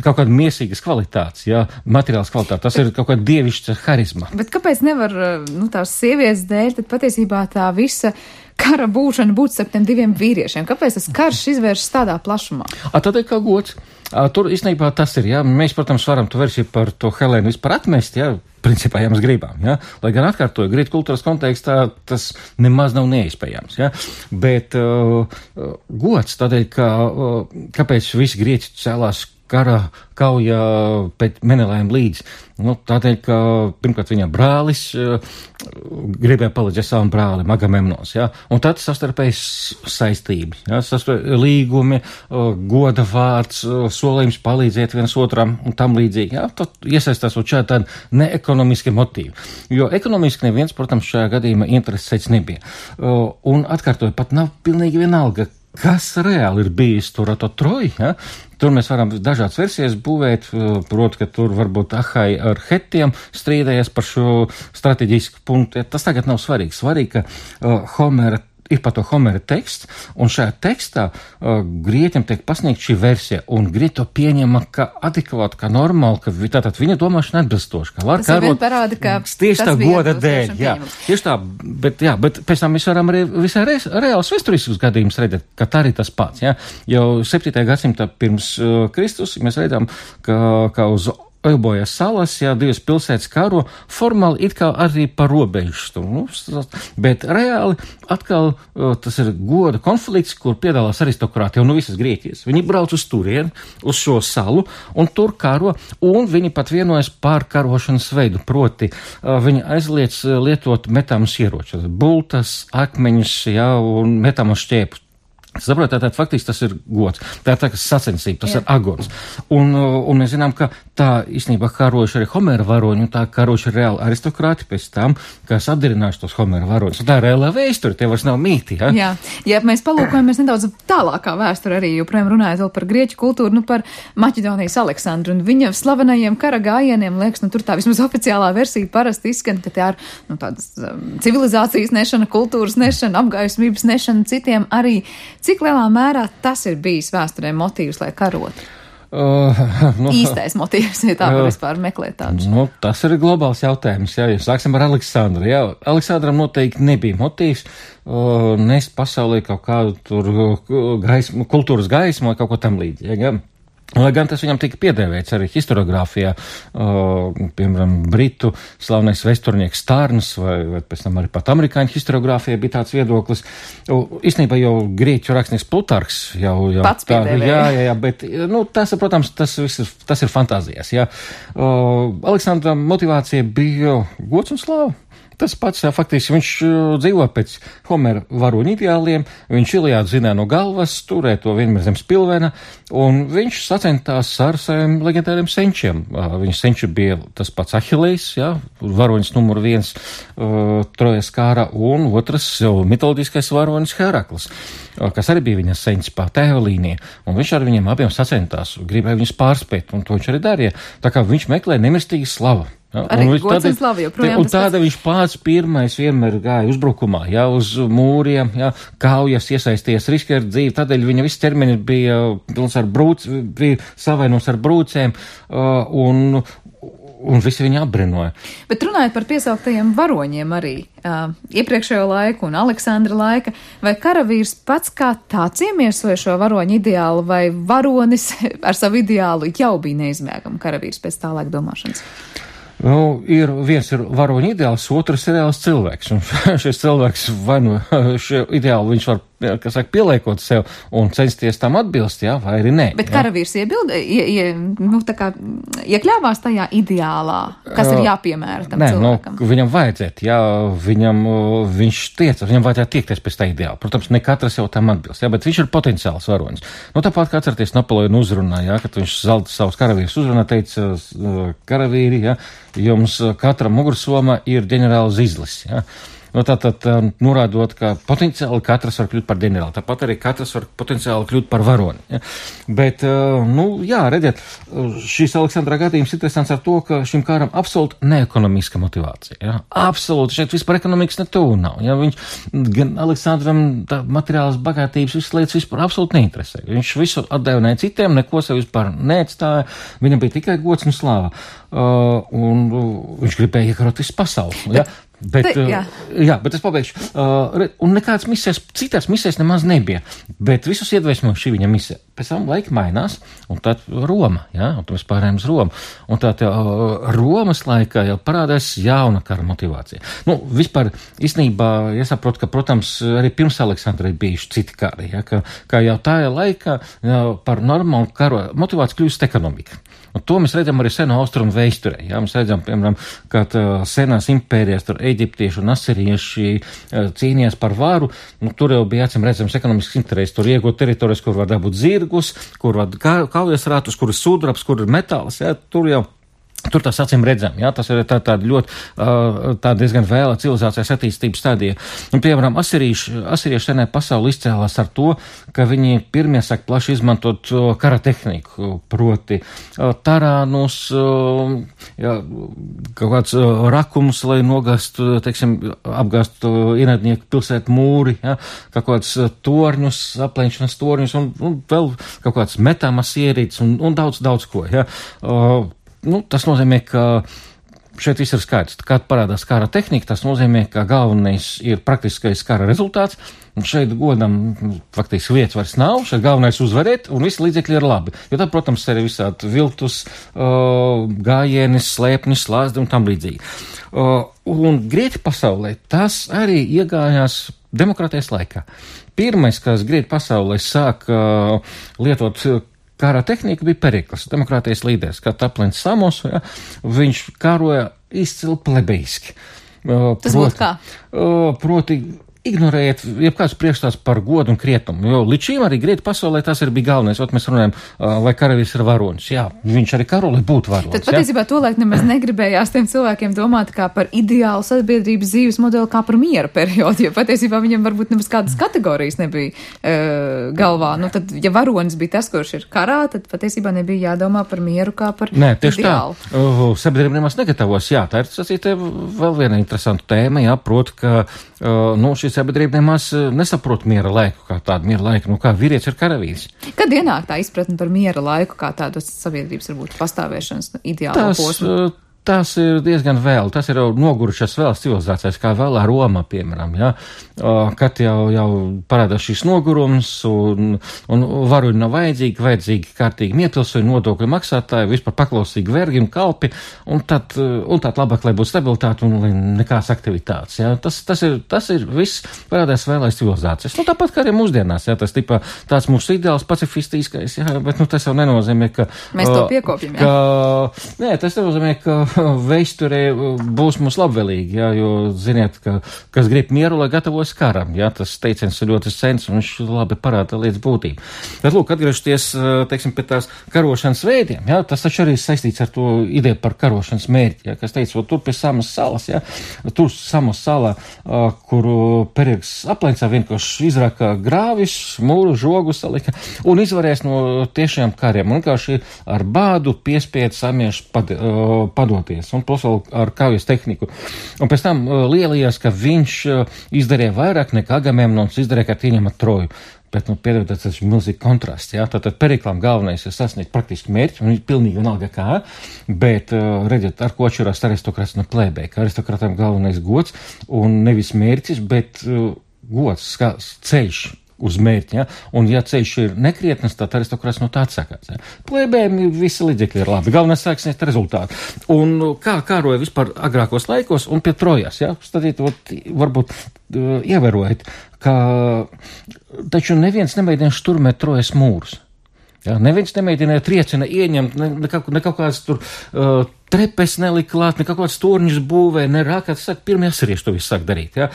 kaut kāda miesīgas kvalitātes, jā, materiāls kvalitāte, tas ir kaut kāda dievišķa harizma. Bet kāpēc nevar, nu, tās sievietes dēļ, tad patiesībā tā visa kara būšana būtu starp tiem diviem vīriešiem? Kāpēc tas karš izvēršas tādā plašumā? A, tad ir kā gods. A, tur īstenībā tas ir, jā, mēs, protams, varam to versiju par to Helēnu vispār atmest, jā, principā, ja mēs gribam, jā, lai gan atkārtoju, grieķu kultūras kontekstā tas nemaz nav neiespējams, jā, bet uh, gods tādēļ, ka, uh, kāpēc visi grieķi cēlās kara kauja pēc Menelējiem līdz. Nu, tādēļ, ka pirmkārt viņa brālis uh, gribēja palīdzēt savam brālim, Agamemnos, ja? Un tad sastarpējas saistība, ja? Sastarpējas līgumi, uh, goda vārds, uh, solījums palīdzēt viens otram un tam līdzīgi, ja? Tad iesaistās uz šādi tādi neekonomiski motīvi. Jo ekonomiski neviens, protams, šajā gadījumā interesēts nebija. Uh, un atkārtoju, pat nav pilnīgi vienalga, kas reāli ir bijis tur ar to Troju, ja? Tur mēs varam dažādas versijas būvēt, proti, ka tur varbūt Ahai ar Hetiem strīdējies par šo strateģisku punktu. Tas tagad nav svarīgi. Svarīgi, ka uh, Homera ir par to Homera teksts, un šajā tekstā uh, grieķiem tiek pasniegt šī versija, un grieķi to pieņema kā adekvāti, kā normāli, ka tātad viņa domāšana atbilstoši, ka var karot parāda, ka tieši tā goda dēļ, jā, tieši tā, bet, jā, bet pēc tam mēs varam arī visai re, reāls vēsturiskus gadījumus redzēt, ka tā arī tas pats, jā, jau septītajā gadsimtā pirms uh, Kristus mēs redzam, ka, ka uz Eubojas salas, jā, divas pilsētas karo, formāli it kā arī par robežu, nu, bet reāli atkal tas ir goda konflikts, kur piedalās aristokrāti jau no visas Grieķijas. Viņi brauc uz turieni, uz šo salu, un tur karo, un viņi pat vienojas pār karošanas veidu, proti viņi aizliedz lietot metāmus ieročus, bultas, akmeņus, jā, un metāmus šķēpus. Saprot, tātad faktiski tas ir gods, tā ir tā, kas sacensība, tas Jā. ir agons. Un, un mēs zinām, ka tā īstenībā karojuši arī Homera varoņi, un tā karojuši reāli aristokrāti pēc tam, kas apdirinājuši tos Homera varoņus. Un tā ir reālā vēsture, tie vairs nav mīti, ja? Jā, ja mēs palūkojamies nedaudz tālākā vēsture arī, joprojām runājot vēl par grieķu kultūru, nu par Maķedonijas Aleksandru un viņa slavenajiem kara gājieniem, liekas, nu tur tā vismaz oficiālā versija parasti izskan, ka tā ir, nu tādas um, civilizācijas nešana, kultūras nešana, apgaismības nešana citiem arī. Cik lielā mērā tas ir bijis vēsturē motīvs, lai karotu? Uh, nu, Īstais motīvs, ja tā var uh, vispār meklēt tādus. Nu, tas ir globāls jautājums, jā, ja sāksim ar Aleksandru. Jā, Aleksandram noteikti nebija motīvs uh, nest pasaulē kaut kādu tur gaismu, kultūras gaismu vai kaut ko tam līdzīgi, jā. Lai gan tas viņam tika piedēvēts arī historiogrāfijā, uh, piemēram, britu slavnais vēsturnieks Stārns, vai, vai pēc tam arī pat amerikāņu historiogrāfijā bija tāds viedoklis. Uh, īstenībā jau grieķu rakstnieks Plutarks jau, jau pats piedēvēja. Jā, jā, jā, bet, nu, tas, protams, tas viss ir, tas ir fantāzijas, jā. Uh, Aleksandra motivācija bija gods un slāva. Tas pats, jā, faktiski viņš uh, dzīvo pēc Homera varoņu ideāliem, viņš Iliādu zināja no galvas, turēja to vienmēr zem spilvena, un viņš sacentās ar saviem leģendāriem senčiem. Uh, viņš senči bija tas pats Ahilejs, jā, varoņs numur viens uh, Trojas kārā, un otrs jau mitoloģiskais varonis Heraklis, uh, kas arī bija viņa senčs pa tēva līnija, un viņš ar viņiem abiem sacentās, gribēja viņus pārspēt, un to viņš arī darīja, tā kā viņš meklēja nemirstīgi slavu. Ja, arī gods un slava joprojām. Un tāda viņš pats pirmais vienmēr gāja uzbrukumā, ja, uz mūriem, ja, kaujas iesaisties, riski ar dzīvi, tādēļ viņa viss ķermenis bija pilns ar brūc, bija savainos ar brūcēm, uh, un, un visi viņu apbrinoja. Bet runājot par piesauktajiem varoņiem arī, uh, iepriekšējo laiku un Aleksandra laika, vai karavīrs pats kā tāds iemiesoja šo varoņu ideālu, vai varonis ar savu ideālu jau bija neizmēgama karavīrs pēc tā laika domāšanas? Nu, ir, viens ir varoņu ideāls, otrs ir reāls cilvēks, un šis cilvēks vai nu šo ideālu viņš var, kas saka, pieliekot sev un censties tam atbilst, jā, vai arī nē. Bet karavīrs iebilda, ie, ie, nu, tā kā iekļāvās tajā ideālā, kas ir jāpiemēra tam nē, cilvēkam. Nu, viņam vajadzētu, jā, viņam, viņš tieca, viņam vajadzētu tiekties pēc tā ideāla. Protams, ne katrs jau tam atbilst, jā, bet viņš ir potenciāls varonis. Nu, tāpat, kā atcerieties Napoleona uzrunā, jā, kad viņš zelta savus karavīrus uzrunā, teica, karavīri, jā, jums katram mugursomā ir ģenerāls Zizlis, jā. Nu, tātad norādot, ka potenciāli katrs var kļūt par ģenerāli, tāpat arī katrs var potenciāli kļūt par varoni. Ja? Bet, nu, jā, redziet, šīs Aleksandra gadījums interesants ar to, ka šim kāram absolūti neekonomiska motivācija. Ja? Absolūti, šeit vispār ekonomikas netū nav. Ja? Viņš, gan Aleksandram tā materiālas bagātības, visas lietas vispār absolūti neinteresē. Viņš visu atdevināja citiem, neko sev vispār neatstāja, viņam bija tikai gods un slāva. Uh, un uh, viņš gribēja iekarot visu pasauli. Ja? Bet, Te, jā. Uh, jā, bet es pabeigšu. Uh, un nekādas misijas, citās misijas nemaz nebija, bet visus iedvesmoja šī viņa misija. Pēc tam laika mainās, un tad Roma, jā, un tad mēs pārējām uz Romu. Un tā tā uh, Romas laikā jau parādās jauna kara motivācija. Nu, vispār, īstenībā, jāsaprot, ka, protams, arī pirms Aleksandra ir bijuši citi kari, jā, ka, ka jau tajā laikā jā, par normālu karu motivāciju kļūst ekonomika. Un to mēs redzam arī seno austrumu vēsturē. Jā, mēs redzam, piemēram, ka uh, senās impērijas, tur eģiptieši un asirieši uh, cīnījās par varu. Nu, tur jau bija acīm redzams ekonomisks interesi. Tur iegūt teritorijas, kur var dabūt zirgus, kur var kaujas rātus, kur ir sudrabs, kur ir metāls. Jā, tur jau Tur tas acīm redzam, jā, tas ir tā, tāda ļoti, tā diezgan vēla civilizācijas attīstības stadija. Un, piemēram, asirieši, asirieši senē pasauli izcēlās ar to, ka viņi pirmie sāk plaši izmantot kara tehniku, proti tarānus, jā, kaut kāds rakums, lai nogāstu, teiksim, apgāstu ienaidnieku pilsētu mūri, jā, kaut kāds torņus, apleņšanas torņus un, un vēl kaut kāds metāmas ierīces un, un daudz, daudz ko, jā. Nu, tas nozīmē, ka šeit viss ir skaidrs. Kad parādās kara tehnika, tas nozīmē, ka galvenais ir praktiskais kara rezultāts, un šeit godam faktiski vietas vairs nav, šeit galvenais uzvarēt, un visi līdzekļi ir labi. Jo tad, protams, ir visādi viltus, uh, gājienis, slēpnis, slāzdi un tam līdzīgi. Uh, un Grieķu pasaulē tas arī iegājās demokrātijas laikā. Pirmais, kas Grieķu pasaulē sāk uh, lietot kara tehnika, bija Perikls, demokrātijas līderis, kā Taplins Samos, ja, viņš karoja izcili plebeiski. Tas proti, būtu kā? Proti, ignorējiet jebkāds priekšstats par godu un krietumu, jo līdz šīm arī Grieķu pasaulē tas ir bija galvenais, ot mēs runājam, vai karavīrs ir varonis. Jā, viņš arī karo, lai būtu varonis. Tad patiesībā to laik nemaz negribējās tiem cilvēkiem domāt kā par ideālu sabiedrības dzīves modeli, kā par miera periodu, jo patiesībā viņam varbūt nemaz kādas kategorijas nebija uh, galvā. Nu tad, ja varonis bija tas, kurš ir karā, tad patiesībā nebija jādomā par mieru kā par Nē, tieši ideālu. Tā. Uh, sabiedrība nemaz negatavos. Jā, tā ir sacīta vēl viena interesanta tēma, jā, proti, ka uh, nu, šis sabiedrība nemaz nesaprot miera laiku kā tādu miera laiku, nu kā vīrietis ir karavīrs. Kad ienāk tā izpratne par miera laiku kā tādas sabiedrības varbūt pastāvēšanas ideālo posmu? Tas ir diezgan vēl, tas ir jau nogurušas vēl civilizācijas, kā vēl ar Romā, piemēram, ja, kad jau, jau parādās šis nogurums un, un varoņi nav vajadzīgi, vajadzīgi kārtīgi miepilsoņi, nodokļu maksātāji, vispār paklausīgi vergi un kalpi, un tad, un tad labāk, lai būtu stabilitāte un lai nekāds aktivitātes, ja, tas, tas ir, tas ir viss parādās vēl aiz civilizācijas. Nu, tāpat kā arī mūsdienās, ja, tas tipā tāds mūsu ideāls pacifistiskais, ja, bet, nu, tas jau nenozīmē, ka... Mēs to piekopjam, jā. Ka, nē, tas nenozīmē, ka vēsturē būs mums labvēlīgi, jā, jo ziniet, ka kas grib mieru, lai gatavojas karam, jā, tas teiciens ir ļoti sens un viņš labi parāda lietas būtību. Bet, lūk, atgriežoties, teiksim, pie tās karošanas veidiem, jā, tas taču arī saistīts ar to ideju par karošanas mērķi, jā, kas teica, tur pie Samas salas, jā, tur Samas salā, kuru Perikls aplencā vienkārši izraka grāvis, mūru, žogu salika un izvarēs no tiešām kariem, un vienkārši ar bādu piespied samiešu pad, padot un plus vēl ar kaujas tehniku. Un pēc tam uh, lielījās, ka viņš uh, izdarīja vairāk nekā Agamemnons izdarīja, kad ieņemat Troju. Bet, nu, piedodiet, tas ir milzīgi kontrasts, jā. Tātad Periklam galvenais ir sasniegt praktiski mērķi, un ir pilnīgi vienalga kā, bet, uh, redziet, ar ko atšķirās aristokrāts no plēbē, ka aristokrātam galvenais gods, un nevis mērķis, bet uh, gods, kā ceļš uz mērķi, ja? Un ja ceļš ir nekrietnes, tad aristokrāts no tā atsakās. Ja? Plēbējiem visi līdzekļi ir labi, galvenais sāksniegt rezultātu. Un kā kāroja vispār agrākos laikos un pie Trojas, ja? Stadiet, varbūt uh, ievērojat, ka taču neviens nemēģina šturmēt Trojas mūrus. Ja? Neviens nemēģināja triecina ieņemt, ne, ne, kaut, ne kaut kāds tur uh, trepes nelika klāt, ne kaut kāds torņus būvē, ne rākāt, saka, pirmie asirieši to visu sāk darīt, ja?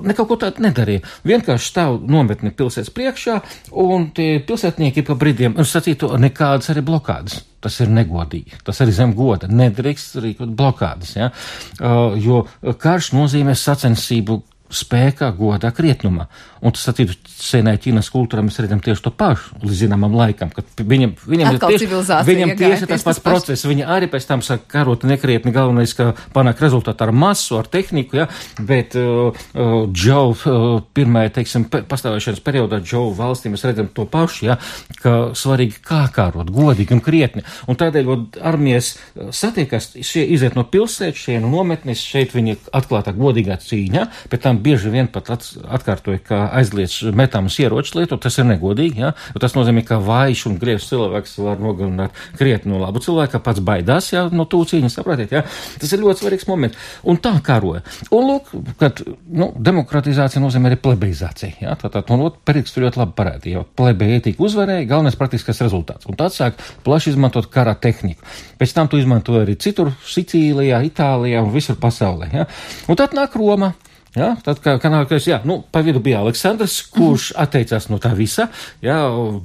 Ne kaut ko tādu nedarīja. Vienkārši stāv nometni pilsētas priekšā, un tie pilsētnieki pa brīdiem, un sacītu, nekādas arī blokādas. Tas ir negodīgi, tas arī zem goda, nedrīkst rīkot blokādas, ja? Uh, jo karš nozīmē sacensību spēkā, godā, krietnumā. Un tas attīdu senai Ķīnas kultūrā mēs redzam tieši to pašu līdz zināmam laikam, kad viņam, viņam ir tieši, viņam tieši tas pats process. Viņi arī pēc tam saka karot nekrietni, galvenais, ka panāk rezultātu ar masu, ar tehniku, ja, bet uh, uh, Džou uh, pirmajā, teiksim, pastāvēšanas periodā Džou valstī mēs redzam to pašu, ja, ka svarīgi kā karot, godīgi un krietni. Un tādēļ, kad armijas satiekas, šie iziet no pilsētas, šie no nometnes, šeit viņi atklātā godīgā cīņā, pēc tam bieži vien pat atkārtoja, ka aizliedz metāmas ieročus lietot, tas ir negodīgi, ja? Tas nozīmē, ka vājš un grievs cilvēks var nogalināt krietni no labu cilvēku, ka pats baidās, ja, no tū cīņas, sapratiet, ja? Tas ir ļoti svarīgs moments. Un tā karoja. Un lūk, kad, nu, demokratizācija nozīmē arī plebeizācija, ja? Tātad, un lūk, Perikls tur ļoti labi parādīja, jo plebeja ētika uzvarēja, galvenais praktiskais rezultāts. Un tāds sāk plaši izmantot kara tehniku. Pēc tam tu izmantoja arī citur, Sicīlijā, Itālijā un visur pasaulē, ja? Un tad nāk Roma. Ja, tad, kā kanālais, jā, nu, pa vidu bija Aleksandrs, kurš mm. atteicās no tā visa, jā,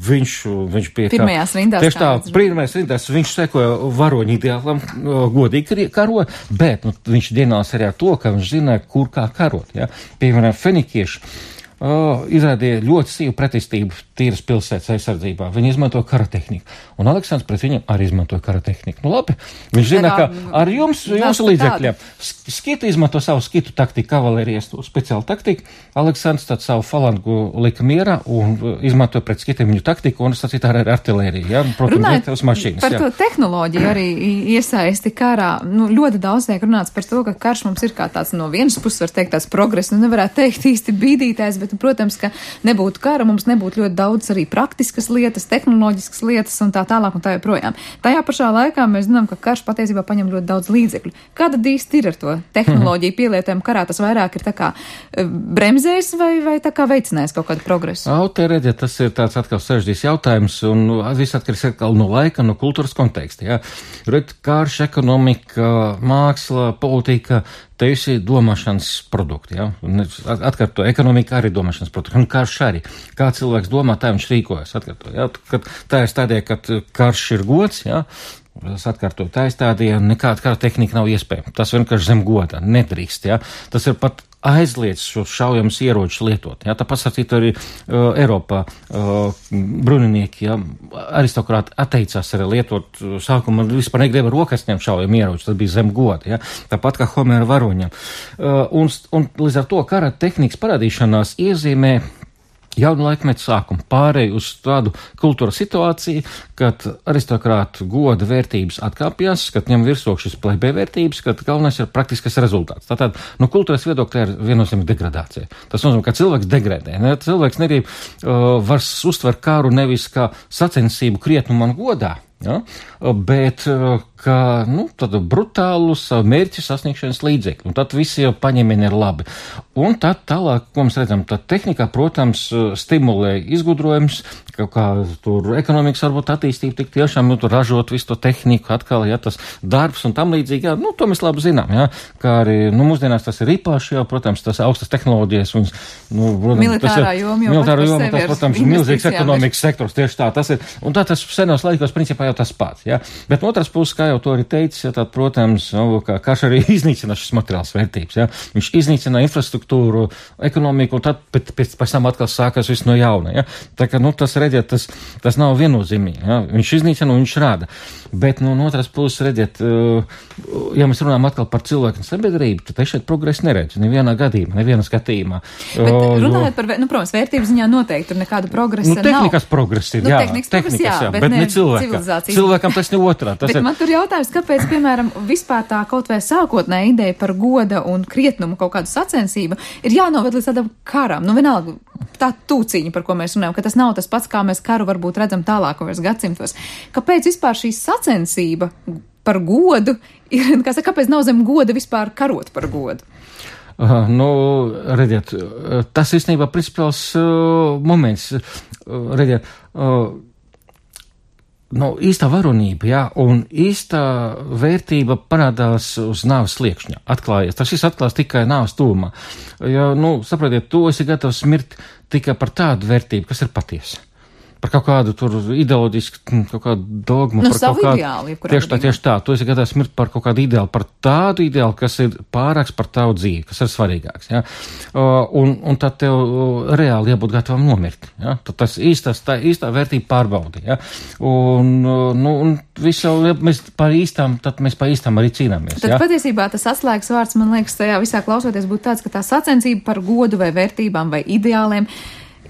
viņš, viņš pie kā... Pirmajās rindās. Tieši tā, pirmajās rindās viņš sekoja varoņu ideālam, godīgi karo, bet, nu, viņš dienās arī ar to, ka viņš zināja, kur kā karot, jā. Piemēram, fenikieši. Uh, izrādīja ļoti sīvu pretestību tīras pilsētas aizsardzībā. Viņi izmantoja kara tehniku. Un Aleksandrs pret viņiem arī izmantoja kara tehniku. Nu labi, viņš zina, ka ar jums, jūsu līdzekļiem, skitu izmanto savu skitu taktiku, kavalērijas speciālu taktiku. Aleksandrs tad savu falangu lika mierā un izmantoja pret skitiem viņu taktiku un sacīt ar artilēriju. Ja? Protams, iet uz mašīnas. Par jā. to tehnoloģiju arī iesaisti karā. Nu, ļoti daudz tiek runāts par to, ka karš mums ir kā tāds no vienas puses, var teikt, tāds progress, nu nevarētu teikt īsti bīdītājs, bet, protams, ka nebūtu kara, mums nebūtu ļoti daudz arī praktiskas lietas, tehnoloģiskas lietas un tā tālāk un tā joprojām. Tajā pašā laikā mēs zinām, ka karš patiesībā paņem ļoti daudz līdzekļu. Kāda īsti ir ar to tehnoloģiju pielietojumu karā? Tas vairāk ir tā kā bremzējis vai, vai tā kā veicinājis kaut kādu progresu? Autorēģi, tas ir tāds atkal sarežģīts jautājums un viss atkarīgs atkal no laika, no kultūras konteksta. Ja? Red, karš, ekonomika, māksla, politika, te visi domāšanas produkti, ja? Atkārto, ekonomika arī domāšanas produkti, un karš arī. Kā cilvēks domā, tā viņš rīkojas, atkārto, ja? Kad tā ir stādīja, kad karš ir gods, ja? Es atkārtoju, tā ir stādīja, nekāda kara tehnika nav iespējama. Tas vienkārši zem goda, nedrīkst, ja? Tas ir pat aizliedz šos šaujamus ieročus lietot. Ja? Tāpat sacīt arī uh, Eiropā uh, bruninieki, ja? Aristokrāti atteicās arī lietot uh, sākumā, vispār negribēja rokas ņemt šaujamu ieročus, tas bija zem goda, ja? Tāpat kā Homēra varoņam. Uh, un, un līdz ar to kara tehnikas parādīšanās iezīmē jaunu laikmetu sākumu pārēju uz tādu kultūras situāciju, kad aristokrātu goda vērtības atkāpjas, kad ņem virsroku šis plebē vērtības, kad galvenais ir praktiskas rezultāts. Tātad, no kultūras viedokļa ir viennozīmīga degradācija. Tas nozīmē, ka cilvēks degradē. Ne? Cilvēks negrib, uh, var uztver kāru nevis kā sacensību krietnumu un godā, ja? Bet uh, kā, nu, tādu brutālu savu mērķu sasniegšanas līdzekļu. Un tad visi jau paņēmieni ir labi. Un tad tālāk, ko mēs redzam, tad tehnikā, protams, stimulē izgudrojums, kaut kā tur ekonomikas varbūt attīstība tik tiešām, nu, tur ražot visu to tehniku atkal, ja, tas darbs un tam līdzīgi, jā, nu, to mēs labi zinām, jā, kā arī, nu, mūsdienās tas ir īpaši, jā, protams, tas augstas tehnoloģijas un, nu, protams, militārā joma, jau militārā joma, tas, protams, milzīgs ekonomikas sektors, tieši tā, tas ir, un tā tas senos laikos, principā jau tas pats, jā, bet no otras puses, kā jau to arī teicis, ja, tad, protams, nu, kā karš arī iznīcina šis materiāls vērtības, ja. Viņš iznīcina infrastruktūru, ekonomiku, un tad pēc, pēc, pēc tam atkal sākas viss no jauna, ja. Tā kā, nu, tas, redziet, tas, tas nav viennozīmīgi, ja. Viņš iznīcina un viņš rāda. Bet, nu, no otras puses, redziet, ja mēs runājam atkal par cilvēku un sabiedrību, tad es šeit progresu neredzu, nevienā gadījumā, nevienā skatījumā. Bet runājot par, nu, protams, vērtības ziņā noteikti tur nekāda progresa nu, tehnikas nav. Progress ir, nu, jā, tehnikas, tehnikas, progress, jā, jā, bet, bet ne, ne cilvēkam. Cilvēkam tas ne otrā. Tas bet ir... man tur jautājums, kāpēc, piemēram, vispār tā kaut vai sākotnē ideja par goda un krietnumu kaut kādu sacensību ir jānoved līdz tādam karam. Nu, vienalga, tā tūciņa, par ko mēs runājam, ka tas nav tas pats, kā mēs karu varbūt redzam tālākajos gadsimtos. Kāpēc vispār šī sacensība par godu ir, kā saka, kāpēc nav zem goda vispār karot par godu? Uh, nu, redziet, tas īstenībā principāls uh, moments, uh, redziet, uh, nu, īstā varonība, jā, un īstā vērtība parādās uz nāves sliekšņa, atklājies. Tas viss atklās tikai nāves tūmā. Ja, nu, saprotiet, tu esi gatavs mirt tikai par tādu vērtību, kas ir patiesa. Par kaut kādu tur ideoloģisku, kaut kādu dogmu. Nu, par savu kaut kādu, ideālu. Tieši tā, tieši tā. Tu esi gatavs mirt par kaut kādu ideālu, par tādu ideālu, kas ir pārāks par tavu dzīvi, kas ir svarīgāks. Ja? Uh, un, un tad tev uh, reāli jābūt gatavam nomirt. Ja? Tad tas īstās, tā īstā vērtība pārbaudi. Ja? Un, uh, nu, un visu, ja mēs par īstām, tad mēs par īstām arī cīnāmies. Tad ja? patiesībā tas atslēgas vārds, man liekas, tajā visā klausoties būtu tāds, ka tā sacensība par godu vai vērtībām vai ideāliem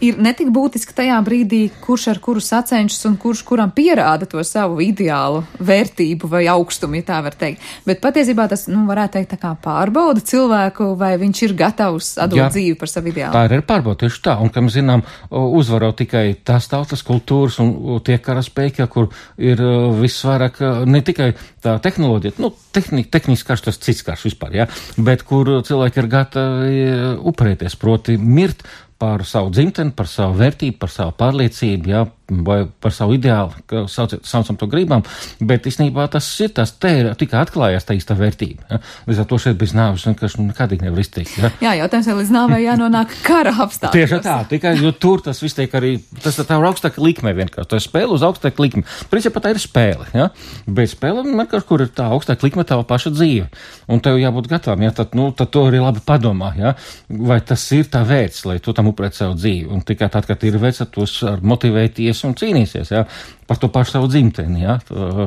ir netik būtiski tajā brīdī, kurš ar kuru sacenšas un kurš kuram pierāda to savu ideālu vērtību vai augstumu, ja tā var teikt. Bet patiesībā tas, nu, varētu teikt, tā kā pārbauda cilvēku, vai viņš ir gatavs atdot Jā, dzīvi par savu ideālu. Tā ir pārbauda tieši tā, un, kā mēs zinām, uzvaro tikai tās tautas kultūras un tie karaspēki, kur ir visvairāk ne tikai tā tehnoloģija, nu, tehni, tehniski karš, tas cits karš vispār, ja, bet kur cilvēki ir gatavi upurēties, proti mirt par savu dzimteni, par savu vērtību, par savu pārliecību, jā, vai par savu ideālu, ka sauc, saucam to gribam, bet īstenībā tas ir tas, te ir tikai atklājās tā īsta vērtība. Ja? Līdz ar to šeit bez nāves vienkārši nekādīgi nevar izteikt. Ja? Jā, jautājums ir līdz nāvei jānonāk kara apstākļos. Tieši tā, tikai, jo tur tas viss tiek arī, tas tā ir augstāka likme vienkārši, tā ir spēle uz augstāku likmi. Principā tā ir spēle, ja? Bet spēle vienkārši, kur ir tā augstāka likme, tava paša dzīve. Un tev jābūt gatavam, ja? Tad, nu, tad to arī labi padomā, ja? Vai tas ir tā vērts, lai tu tam upurētu savu dzīvi. Un tikai tad, kad ir vērts, tos motivēties un cīnīsies, ja, par to pašu savu dzimteni, ja.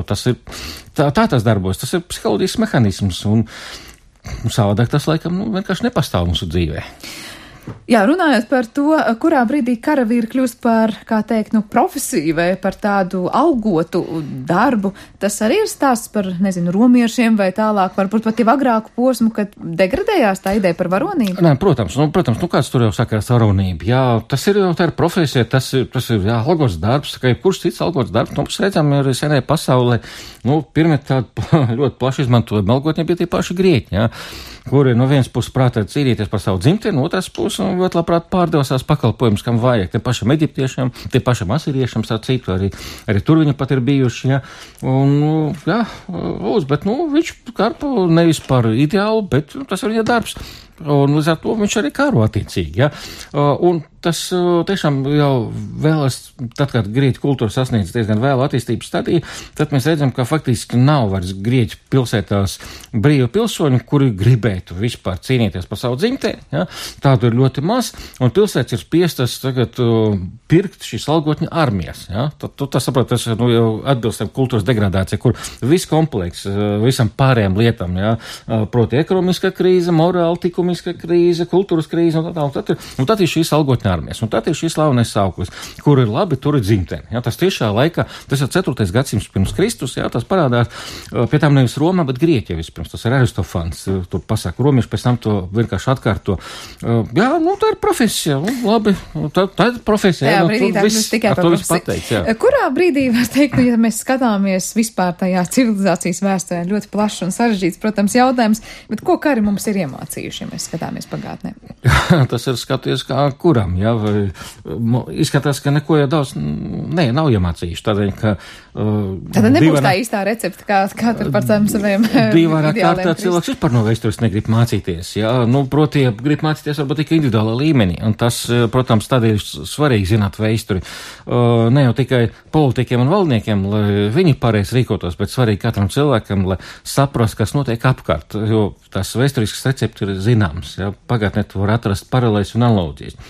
Tas ir, tā, tā tas darbojas, tas ir psiholoģisks mehānisms, un savādāk tas, laikam, nu, vienkārši nepastāv mūsu dzīvē. Jā, runājot par to, kurā brīdī karavīri kļūst par, kā teikt, nu, profesiju vai par tādu algotu darbu, tas arī ir stāsts par, nezinu, romiešiem vai tālāk, varbūt pat jau agrāku posmu, kad degradējās tā ideja par varonību? Nē, protams, nu, protams, nu, kāds tur jau saka ar varonību, jā, tas ir jau tā ir profesija, tas ir, tas ir, jā, algots darbs, kā jebkurš cits algots darbs, nu, mēs redzam, ir senē pasaulē, nu, pirmie tādi ļoti plaši izmantojami algotņi bija tie paši grieķi, jā, kuri no vienas puses prātā cīnīties par savu dzimteni, no otras puses un ļoti labprāt pārdevās pakalpojumus, kam vajag. Te pašam eģiptiešiem, te pašam asiriešiem, tā citu, arī, arī tur viņi pat ir bijuši, ja. Un, jā, uz, bet, nu, viņš karpo nevis par ideālu, bet tas ir viņa darbs. Un līdz ar to viņš arī karo attiecīgi, ja. Un tas tiešām jau vēlas, tad, kad grieķu kultūra sasniedz diezgan vēlu attīstības stadiju, tad mēs redzam, ka faktiski nav vairs grieķu pilsētās brīvu pilsoņu, kuri gribētu vispār cīnīties par savu dzimteni, ja. Tādu ir ļoti maz, un pilsētas ir spiestas tagad uh, pirkt šīs algotņu armijas, ja. Tad tu tas saprot, tas nu, jau atbilstam kultūras degradācija, kur viss kompleks, uh, visam pārējām lietām, ja. Uh, proti ekonomiskā krīze, morāla likumiskā krīze, kultūras krīze, un tā, un tad ir, un tad ir šīs algotņu armijas, un tad ir šis slavenais sauklis, kur ir labi, tur ir dzimteni. Ja, tas tiešā laikā, tas ir ceturtais gadsimts pirms Kristus, ja, tas parādās pie tām nevis Romā, bet Grieķija vispirms, tas ir Aristofans, tur pasaka romieši, pēc tam to vienkārši atkārto. Jā, nu, tā ir profesija, labi, tā, tā ir profesija. Jā, nu, brīdī tā kļūst tikai par profesiju. Kurā brīdī, var teikt, nu, ja mēs skatāmies vispār tajā civilizācijas vēsturē, ļoti plašs un sarežģīts, protams, jautājums, bet ko kari mums ir iemācījuši, ja mēs skatāmies pagātnē? Tas ir skaties kā kuram. Jā, vai, izskatās, ka neko jau daudz, nē, nav iemācījuši, tādēļ, ka... Uh, Tad nebūs divarā, tā īstā recepta, kā, kā tur par tām saviem divarā kārtā cilvēks vispār no vēstures negrib mācīties, jā, nu, proti, grib mācīties varbūt tikai individuālā līmenī, un tas, protams, tādēļ ir svarīgi zināt vēsturi, uh, ne jau tikai politikiem un valdniekiem, lai viņi pareizi rīkotos, bet svarīgi katram cilvēkam, lai saprast, kas notiek apkārt, jo tas vēsturisks recepts ir zināms, jā, pagātnē tu var atrast paralēļus un analoģijas.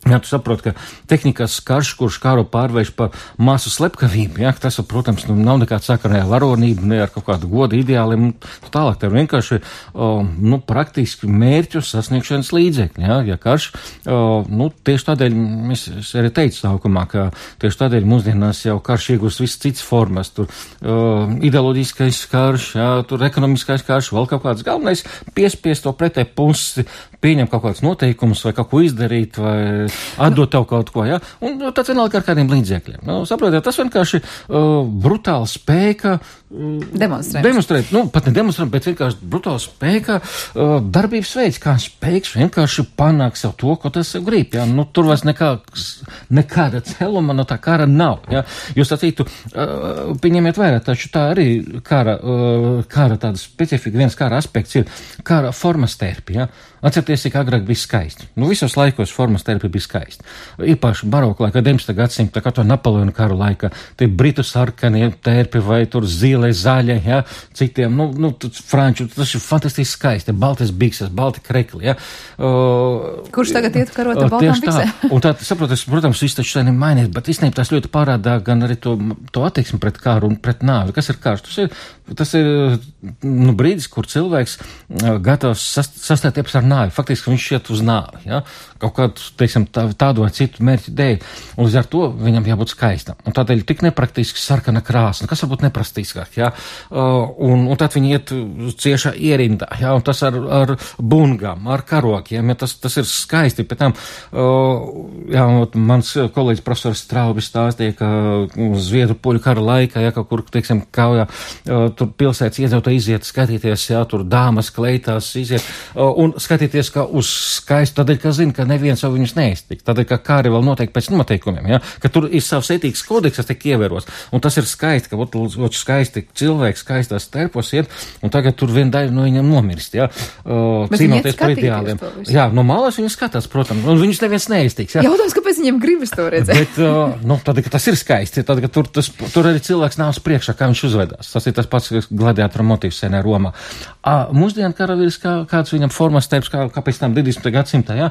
Jā, tu saproti, ka tehnikas karš, kurš kāru pārvērš par masu slepkavību, jā, tas, protams, nu, nav nekāda sakara ar varonību, ne ar kaut kādu godu ideāliem, un tālāk tev vienkārši, o, nu, praktiski mērķu sasniegšanas līdzekļi, jā, ja karš, o, nu, tieši tādēļ, es arī teicu sākumā, ka tieši tādēļ mūsdienās jau karš iegūst viss cits formas, tur o, ideoloģiskais karš, jā, tur ekonomiskais karš, vēl kaut kāds galvenais piespiest to pretē pusi, pieņem kaut kāds noteikums vai kaut ko izdarīt, vai atdot tev kaut ko, ja? Un tāds vienalga ar kādiem līdzekļiem. Nu, saprotiet, tas vienkārši uh, brutāli spēka uh, demonstrēt. demonstrēt. Nu, pat ne demonstrēt, bet vienkārši brutāli spēka uh, darbības veids, kā spēks vienkārši panāk sev to, ko tas sev grib, ja? Nu, tur vairs nekā, nekāda celuma no tā kara nav, ja? Jūs sacītu, uh, pieņemiet vērā, taču tā arī kara, uh, kara tāda specifika, viens kara aspekts ir kara formas terpi, ja? Atcerieties, cik agrāk bija skaisti. Nu, visos laikos formas terpi bija skaisti. Īpaši baroku laikā, deviņpadsmitā gadsimta, kā to Napoleona karu laikā, tie britu sarkanie terpi vai tur zile, zaļie, ja, citiem, nu, nu, franču, tas ir fantastiski skaisti, baltas bikses, balti krekli, ja. Uh, Kurš tagad iet karot ar baltām biksēm? Un tā, saprotas, protams, viss taču tā nemainīt, bet īstenībā tas ļoti parādā gan arī to, to attieksmi pret kāru un pret nāvi. Kas ir kārs? Tas ir, tas ir, nu, brīdis, kur cilvēks uh, gatavs sast, sastēties ar nāvi. Faktiski viņš iet uz nāvi, ja? Kaut kādu, teiksim, tā, tādu vai citu mērķu dēļ. Un līdz ar to viņam jābūt skaistam. Un tādēļ tik nepraktiski sarkana krāsa. Kas varbūt nepraktiskāk, ja? Uh, un, un tad viņi iet ciešā ierindā, ja? Un tas ar, ar bungām, ar karokiem, ja? tas, tas ir skaisti. Pēc tam, uh, jā, mans kolēģis profesors Straubis stāstīja, ka Zviedru poļu kara laikā, ja kaut kur, teiksim, kaujā, uh, tur pilsētas iedzīvotāji iziet skatīties, ja? Tur dāmas kleitās iziet uh, un skatīties skatīties kā uz skaistu, tādēļ, ka zina, ka neviens jau viņus neiztiks, tādēļ, ka kāri vēl noteikti pēc noteikumiem, ja? Ka tur ir savs ētīgas kodeks, kas tiek ievēros, un tas ir skaisti, ka ot skaisti cilvēks skaistās terpos iet, un tagad tur viena daļa no viņam nomirst, ja? Uh, cīnoties par ideāliem. Jā, no malas viņi skatās, protams, un viņus neviens neiztiks, ja? Jautājums, kāpēc viņiem gribas to redzēt? Bet, uh, nu, tad, ka tas ir skaisti, tad, ka tur, tas, tur arī cilvēks nav uz priekšā, kā viņš uzvedās. Tas ir tas pats gladiātora motīvs senē Romā. Uh, mūsdienu karavīrs, kā, kāds viņam formas teips, kā, kā pēc tam divdesmitajā gadsimtā, jā,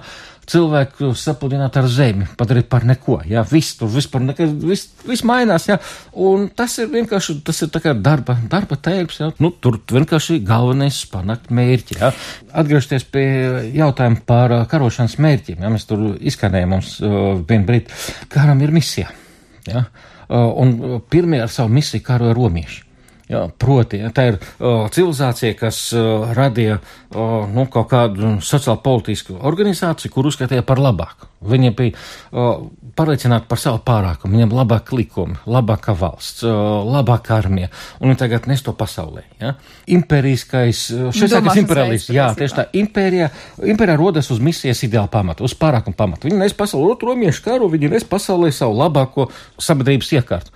cilvēku sapludināt ar zemi, padarīt par neko, jā, viss tur, vispār nekas, viss, viss mainās, jā, un tas ir vienkārši, tas ir tā kā darba, darba tērps, jā, nu, tur vienkārši galvenais panākt mērķi, jā. Atgriežties pie jautājuma par karošanas mērķiem, jā, mēs tur izskanējām mums uh, vienu brīdi, karam ir misija, jā, uh, un pirmie ar savu misiju karoja romieši. Jā, proti, ja, tā ir uh, civilizācija, kas uh, radīja uh, nu, kaut kādu sociāli-politisku organizāciju, kur uzskatīja par labāku. Viņi bija uh, pārliecināti par savu pārākumu, viņiem labāk likumi, labāka valsts, uh, labāka armija, un viņi tagad nes to pasaulē. Ja. Impēriskais, šis sākas imperialisms, jā, tieši tā, impērija, impērija rodas uz misijas ideāla pamata, uz pārākumu pamata. Viņi nes pasaulē otru romiešu karu, viņi nes pasaulē savu labāko sabiedrības iekārtu.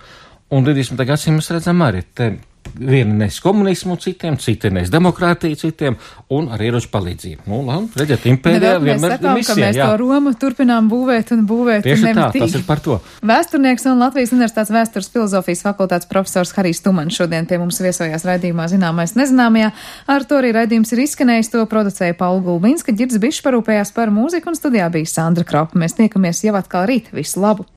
Un divdesmitajā gadsimtā mēs redzam arī te vieni nes komunismu citiem, citi nes demokrātiju citiem un ar ieroču palīdzību. Nu, labi, redziet, impērija vienmēr sakām, misija, ka mēs jā. To Romu turpinām būvēt un būvēt. Tieši un tā, tas ir par to. Vēsturnieks un Latvijas Universitātes vēstures filozofijas fakultātes profesors Harijs Tumans šodien pie mums viesojās raidījumā Zināmais nezināmajā. Ar to arī raidījums ir izskanējis, to producēja Paula Gulbinska, Ģirds Bišs parūpējās par mūziku un studijā bija Sandra Kropa. Mēs tiekamies jau atkal rīt. Visu labu!